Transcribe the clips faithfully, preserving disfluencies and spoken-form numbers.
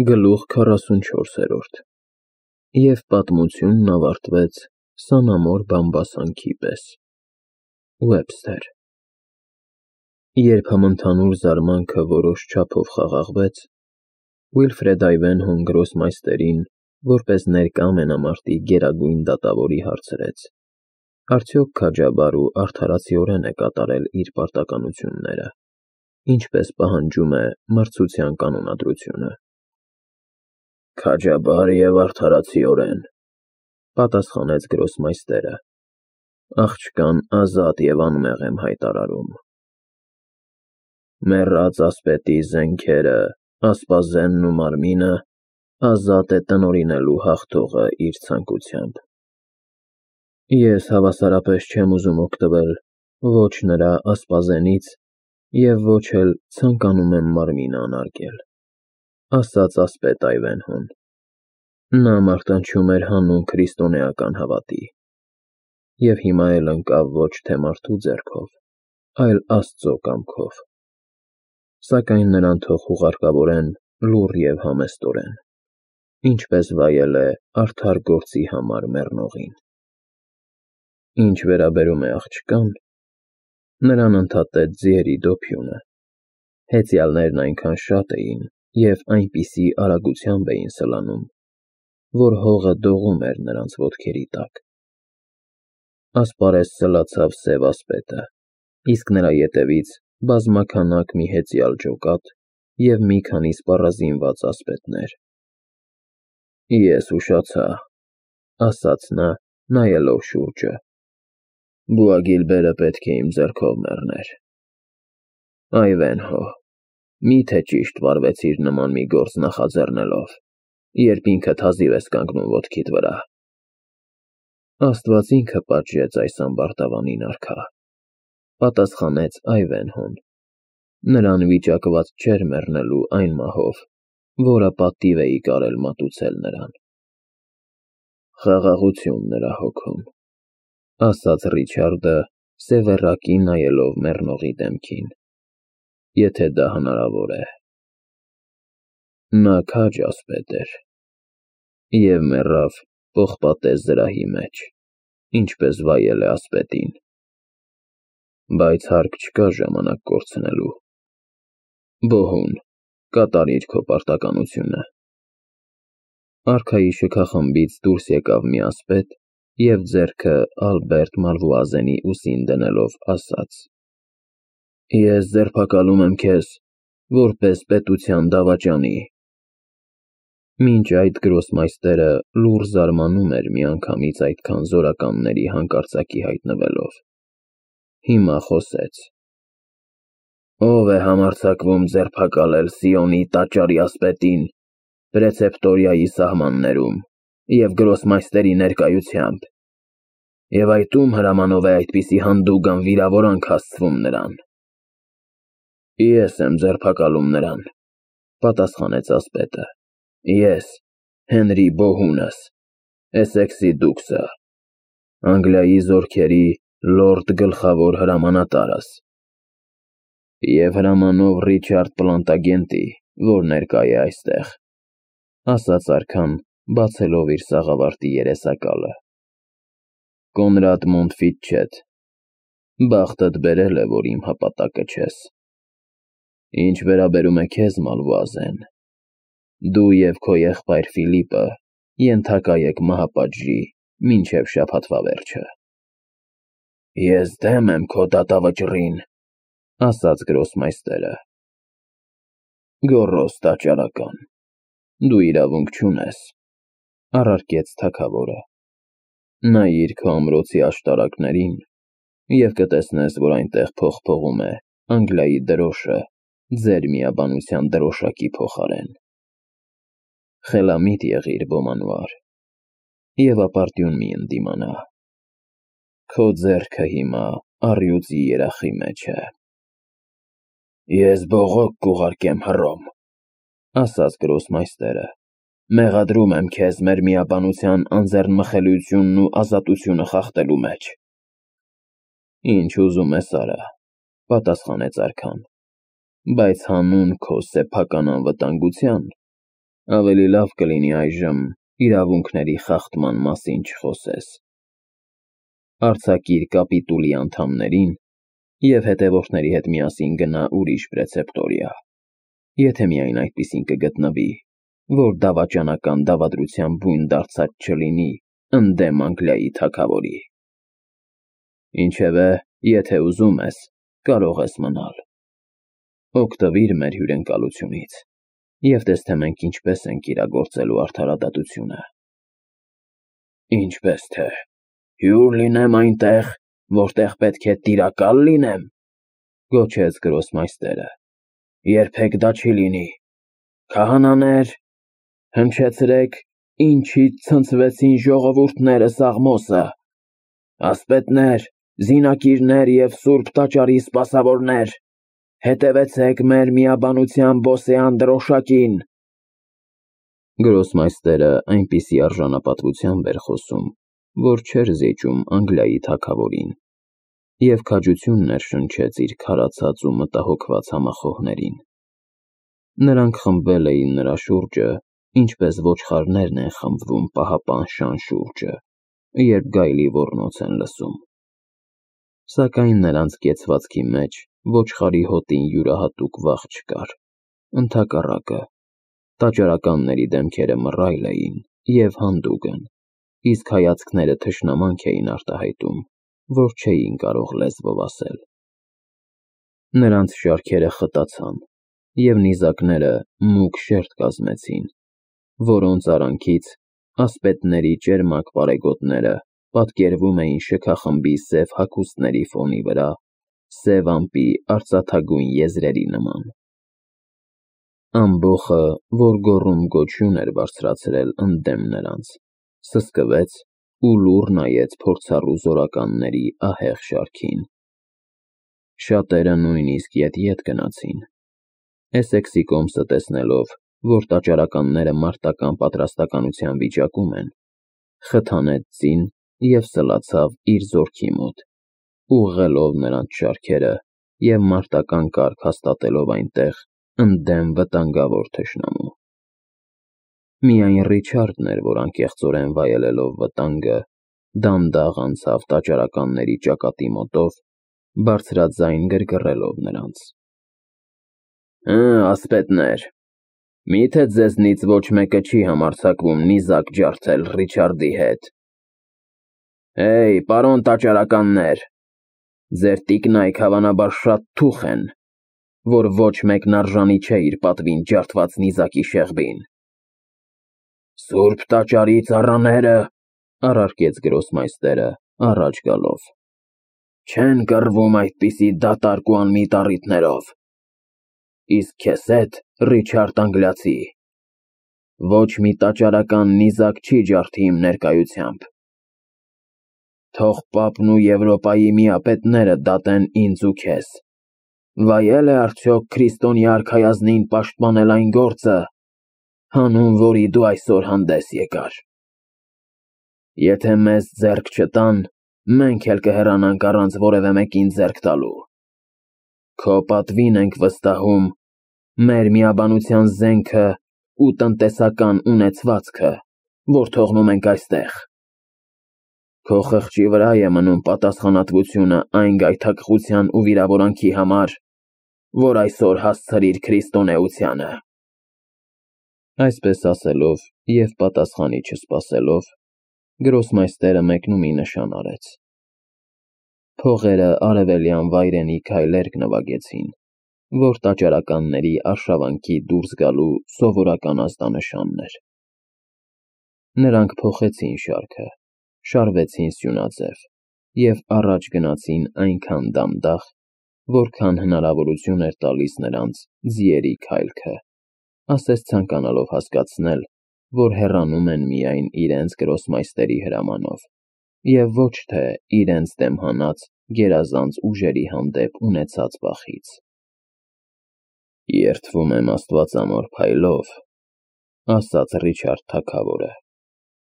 Գլուխ քառասունչորսերորդ Եվ պատմությունն ավարտվեց սանամոր բամբասանքի պես։ Ուեբսթեր Երբ համընդհանուր զարմանքը որոշ չափով խաղաղվեց, Վիլֆրեդ Այվենհոն գրոսմայստերին, որպես ներկա մենամարտի գերագույն դատավորի հարցրեց. Արդյոք քաջաբար ու արդարացիորեն է կատարել իր պարտականությունները, ինչպես պահանջում է մրցության կանոնադրությունը։ Քաջաբար և արդարացիորեն, պատասխանեց գրոսմայստերը, աղջկան ազատ և անմեղ եմ հայտարարում։ Մեռած ասպետի զենքերը, ասպազենն ու մարմինը ազատ է տնօրինելու հաղթողը իր ցանկությամբ։ Ես հավասարապես չեմ ուզում օգտվել ոչ նրա ասպազենից և ոչ էլ ցանկանում եմ մարմինը անարգել, ասաց ասպետ Այվենհոն։ Նա մարտնչում էր հանուն քրիստոնեական հավատի և հիմա էլ ընկավ ոչ թե մարդու ձեռքով, այլ Աստծո կամքով, սակայն նրան թող հուղարկավորեն լուռ և համեստորեն, ինչպես վայել է արդար գործի համար մեռնողին։ Ինչ վերաբերում է աղջկան, նրան ընդհատեց ձիերի դոփյունը, հեծյալներն այնքան շատ էին և այնպիսի արագությամբ էին սլանում, որ հողը դողում էր նրանց ոտքերի տակ։ Ասպարեզ սլացավ սև ասպետը, իսկ նրա ետևից բազմաքանակ մի հեծյալ ջոկատ և մի քանի սպառազինված ասպետներ։ Ես ուշացա, ասաց նա, նայելով շուրջը, Բուագիլբերը պետք է իմ ձեռքով մեռներ։ Այվենհո, մի՞թե ճիշտ վարվեցիր նման մի գործ նախաձեռնելով, երբ ինքդ հազիվ ես կանգնում ոտքիդ վրա։ Աստված ինքը պատժեց այս ամբարտավանին արքա, պատասխանեց Այվենհոն, նրան վիճակված չէր մեռնելու այն մահով, որը պատիվ էի կարել մատուցել նրան։ Խաղաղություն նրա հոգում, ասաց Ռիչարդը, սևեռակի նայելով մեռնողի դեմքին, եթե դա հնարավոր է։ Նա քաջ ասպետ էր և մեռավ պողպատե զրահի մեջ, ինչպես վայել է ասպետին, բայց հարկ չկա ժամանակ կորցնելու։ Բոհուն, կատարիր քո պարտականությունը։ Արքայի շքախմբից դուրս եկավ մի ասպետ և ձեռքը Ալբերտ Մալվուազենի ուսին դնելով ասաց. Ես ձերբակալում եմ քեզ, որպես պետության դավաճանի։ Մինչ այդ գրոսմայստերը լուռ զարմանում էր միանգամից այդքան զորականների հանկարծակի հայտնվելով, հիմա խոսեց. Ո՞վ է համարձակվում ձերբակալել Սիոնի տաճարի ասպետին Պրեցեպտորիայի սահմաններում և գրոսմայստերի ներկայությամբ, և այդ ում հրամանով է այդպիսի հանդուգն վիրավորանք հասցվում նրան։ Ես եմ ձերբակալում նրան, պատասխանեց ասպետը, ես, Հենրի Բոհունս, Էսեքսի դուքսը, Անգլիայի զորքերի լորդ գլխավոր հրամանատարս և հրամանով Ռիչարդ Պլանտագենտի, որ ներկա է այստեղ, ասաց արքան, բացելով իր սաղավարտի երեսակալը։ Կոնրադ Մոնտֆիտչետ, բախտդ բերել է, որ իմ հապատակը չես։ Ինչ վերաբերում է քեզ, Մալվուազեն, դու և քո եղբայր Ֆիլիպը ենթակա եք մահապատժի մինչև շաբաթվա վերջը։ Ես դեմ եմ քո դատավճռին, ասաց գրոսմայստերը։ Գոռոզ տաճարական, դու իրավունք չունես, առարկեց թագավորը։ Նայիր քո ամրոցի աշտարակներին և կտեսնես, որ այնտեղ փողփողում է Անգլիայի դրոշը ձեր միաբանության դրոշակի փոխարեն։ Խելամիտ եղիր, Բոմանվար, և ապարդյուն մի ընդդիմանա։ Քո ձեռքը հիմա առյուծի երախի մեջ է։ Ես բողոք կուղարկեմ Հռոմ, ասաց գրոսմայստերը, մեղադրում եմ քեզ մեր միաբանության անձեռնմխելիությունն ու ազատությունը խախտելու մեջ։ Ինչ ուզում ես արա, պատասխանեց արքան, բայց հանուն քո սեփական անվտանգության Ավելի լավ կլինի այժմ իրավունքների խախտման մասին չխոսես։ Արձակիր կապիտուլի անդամներին և հետևորդների հետ միասին գնա ուրիշ պրեցեպտորիա, եթե միայն այդպիսին կգտնվի, որ դավաճանական դավադրության բույն դարձած չլինի ընդդեմ Անգլիայի թագավորի։ Ինչևէ, եթե ուզում ես, կարող ես մնալ։ Օգտվիր մեր հյուրընկալությունից և տես, թե մենք ինչպես ենք իրագործելու արդարադատությունը։ Ինչպես թե, հյուր լինեմ այնտեղ, որտեղ պետք է տիրակալ լինեմ, գոչեց գրոսմայստերը։ Երբեք դա չի լինի։ Քահանաներ, հնչեցրեք, ինչից ցնցվեցին ժողովուրդները Սաղմոսը, ասպետներ, զինակիրներ և սուրբ տաճարի սպասավորներ, հետևեցեք մեր միաբանության բոսեան դրոշակին։ Գրոսմայստերը այնպիսի արժանապատվությամբ էր խոսում, որ չէր զիջում Անգլիայի թագավորին, և քաջություն ներշնչեց իր քարացած ու մտահոգված համախոհներին։ Նրանք խմբվել էին նրա շուրջը, ինչպես ոչխարներն են խմբվում պահապան շան շուրջը, երբ գայլի ոռնոց են լսում։ Սակայն նրանց կեցվածքի մեջ ոչխարի հոտին յուրահատուկ վախ չկար, ընդհակառակը, տաճարականների դեմքերը մռայլ էին և հանդուգն, իսկ հայացքները թշնամանք էին արտահայտում, որ չէին կարող լեզվով ասել։ Նրանց շարքերը խտացան, և նիզակները մուգ շերտ կազմեցին, որոնց արանքից ասպետների ճերմակ պարեգոտները պատկերվում էին շքախմբի սև հագուստների ֆոնի վրա սև ամպի արծաթագույն եզրերի նման։ Ամբոխը, որ գոռում-գոչյուն էր բարձրացրել ընդդեմ նրանց, սսկվեց ու լուռ նայեց փորձառու զորականների ահեղ շարքին։ Շատերը նույնիսկ ետ-ետ գնացին։ Էսեքսի կոմսը տեսնելով, որ տաճարականները մարտական պատրաստականության վիճակում են, խթանեց ձին և սլացավ իր զորքի մոտ, ուղղելով նրանց շարքերը և մարտական կարգ հաստատելով այնտեղ ընդդեմ վտանգավոր թշնամու։ Միայն Ռիչարդն էր, որ անկեղծորեն վայելելով վտանգը, դանդաղ անցավ տաճարականների ճակատի մոտով, բարձրաձայն գրգռելով նրանց. Հը, ասպետներ, միթե ձեզնից ոչ մեկը չի համարձակվում նիզակ ջարդել Ռիչարդի հետ։ Հեյ, պարոն տաճարականներ, ձեր տիկնայք հավանաբար շատ թուխ են, որ ոչ մեկն արժանի չէ իր պատվին ջարդված նիզակի շեղբին։ Սուրբ տաճարի ծառաները, առարկեց գրոսմայստերը, առաջ գալով, չեն կռվում այդպիսի դատարկ ու անմիտ առիթներով։ Իսկ քեզ հետ, Ռիչարդ Անգլիացի, ոչ մի տաճարական նիզակ չի ջարդի իմ ներկայությամբ։ Թող պապն ու Եվրոպայի միապետները դատեն ինձ ու քեզ, վայել է արդյոք քրիստոնյա արքայազնին պաշտպանել այն գործը, հանուն որի դու այսօր հանդես եկար։ Եթե մեզ ձեռք չտան, մենք էլ կհեռանանք առանց որևէ մեկին ձեռք տալու։ Քո պատվին ենք վստահում մեր միաբանության զենքը ու տնտեսական ունեցվածքը, որ թողնում ենք այստեղ։ Քո խղճի վրա է մնում պատասխանատվությունը այն գայթակղության ու վիրավորանքի համար, որ այսօր հասցրիր քրիստոնեությանը։ Այսպես ասելով և պատասխանի չսպասելով, գրոսմայստերը մեկնումի նշան արեց։ Փողերը արևելյան վայրենի քայլերկ նվագեցին, որ տաճարականների արշավանքի դուրս գալու սովորական ազդանշանն էր։ Նրանք փոխեցին շարքը, շարվեցին սյունաձև և առաջ գնացին այնքան դանդաղ, որքան հնարավորություն էր տալիս նրանց ձիերի քայլքը, ասես ցանկանալով հասկացնել, որ հեռանում են միայն իրենց գրոսմայստերի հրամանով, և ոչ թե իրենց դեմ հանած գերազանց ուժերի հանդեպ ունեցած վախից։ Երդվում եմ աստվածամոր փայլով, ասաց Ռիչարդ թագավորը,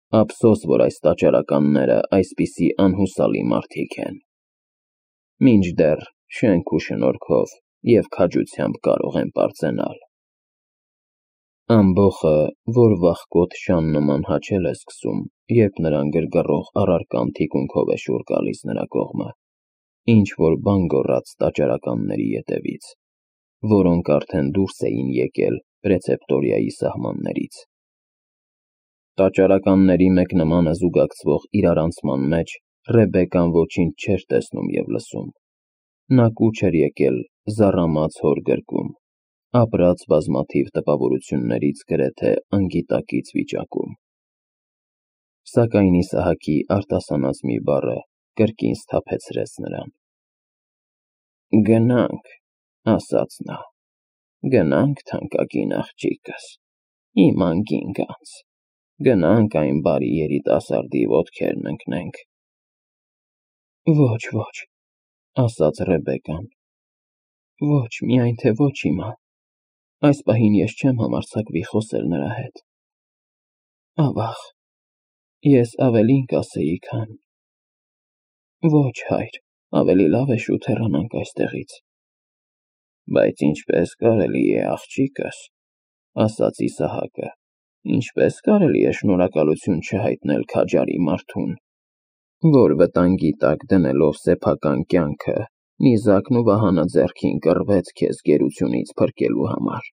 ափսոս, որ այս տաճարականները այսպիսի անհուսալի մարդիկ են։ Մինչդեռ շենք ու շնորհքով և քաջությամբ կարող են պարծենալ։ Ամբոխը, որ վախկոտ շան նման հաչել է սկսում, երբ նրան գրգռող առարկան թիկունքով է շուռ գալիս նրա կողմը, ինչ-որ բան գոռաց տաճարականների ետևից, որոնք արդեն դուրս էին եկել պրեցեպտորիայի սահմաններից։ Տաճարականների մեկնմանը զուգակցվող իրարանցման մեջ Ռեբեկան ոչինչ չէր տեսնում և լսում։ Նա կուչ էր եկել զառամած հոր գրկում, ապրած բազմաթիվ տպավորություններից գրեթե անգիտակից վիճակում։ Սակայն Իսահակի արտասանած մի բառը կրկին սթափեցրեց նրան։ «Գնանք», ասաց նա, «գնանք, թանկագին աղջիկս, իմ անգին գանձ, գնանք այն բարի երիտասարդի ոտքերն ընկնենք»։ «Ոչ, ոչ», ասաց Ռեբեկան, «ոչ, միայն թե ոչ հիմա, այս պահին ես չեմ համարձակվի խոսել նրա հետ։ Ավաղ, ես ավելին կասեի, քան… Ոչ, հայր, ավելի լավ է շուտ հեռանանք այստեղից»։ «Բայց ինչպե՞ս կարելի է, աղջիկս», ասաց Իսահակը, «ինչպե՞ս կարելի է շնորհակալություն չհայտնել քաջարի մարդուն, որ վտանգի տակ դնելով սեփական կյանքը, նիզակն ու վահանը ձեռքին կռվեց քեզ գերությունից փրկելու համար։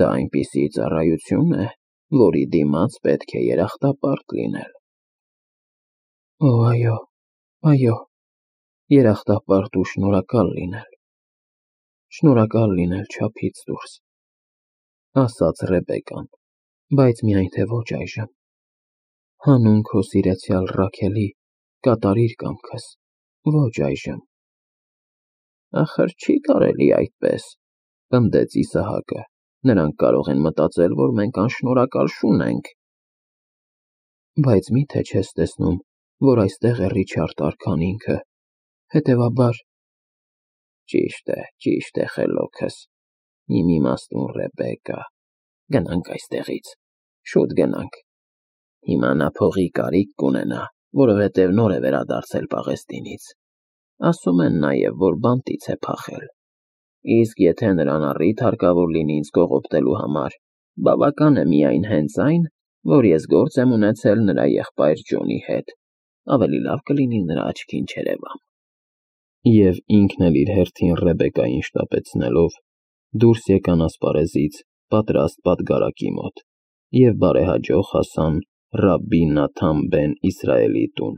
Դա այնպիսի ծառայություն է, որի դիմաց պետք է երախտապարտ լինել»։ «Օ, այո, այո, երախտապարտ ու շնորհակալ լինել, շնորհակալ լինել չափից դուրս», ասաց Ռեբեկան, «բայց միայն թե ոչ այժմ։ Հանուն քո սիրեցյալ Ռաքելի կատարիր կամքս, ոչ այժմ»։ «Ախր չի կարելի այդպես», պնդեց Իսահակը, «նրանք կարող են մտածել, որ մենք անշնորհակալ շուն ենք»։ «Բայց մի՞թե չես տեսնում, որ այստեղ է Ռիչարդ արքան ինքը, հետևաբար…»։ «Ճիշտ է, ճիշտ է, խելոքս, իմ իմաստուն Ռեբեկա, գնանք այստեղից, շուտ գնանք։ Հիմա նա փողի կարիք կունենա, որովհետև նոր է վերադարձել Պաղեստինից, ասում են նաև, որ բանտից է փախել, իսկ եթե նրան առիթ հարկավոր լինի ինձ կողոպտելու համար, բավական է միայն հենց այն, որ ես գործ եմ ունեցել նրա եղբայր Ջոնի հետ, ավելի լավ կլինի նրա աչքին չերևամ»։ Եվ ինքն էլ իր հերթին Ռեբեկային շտապեցնելով դուրս եկան ասպարեզից պատրաստ պատգարակի մոտ և բարեհաջող հասան Ռաբբի Նաթան բեն Իսրայելի տուն։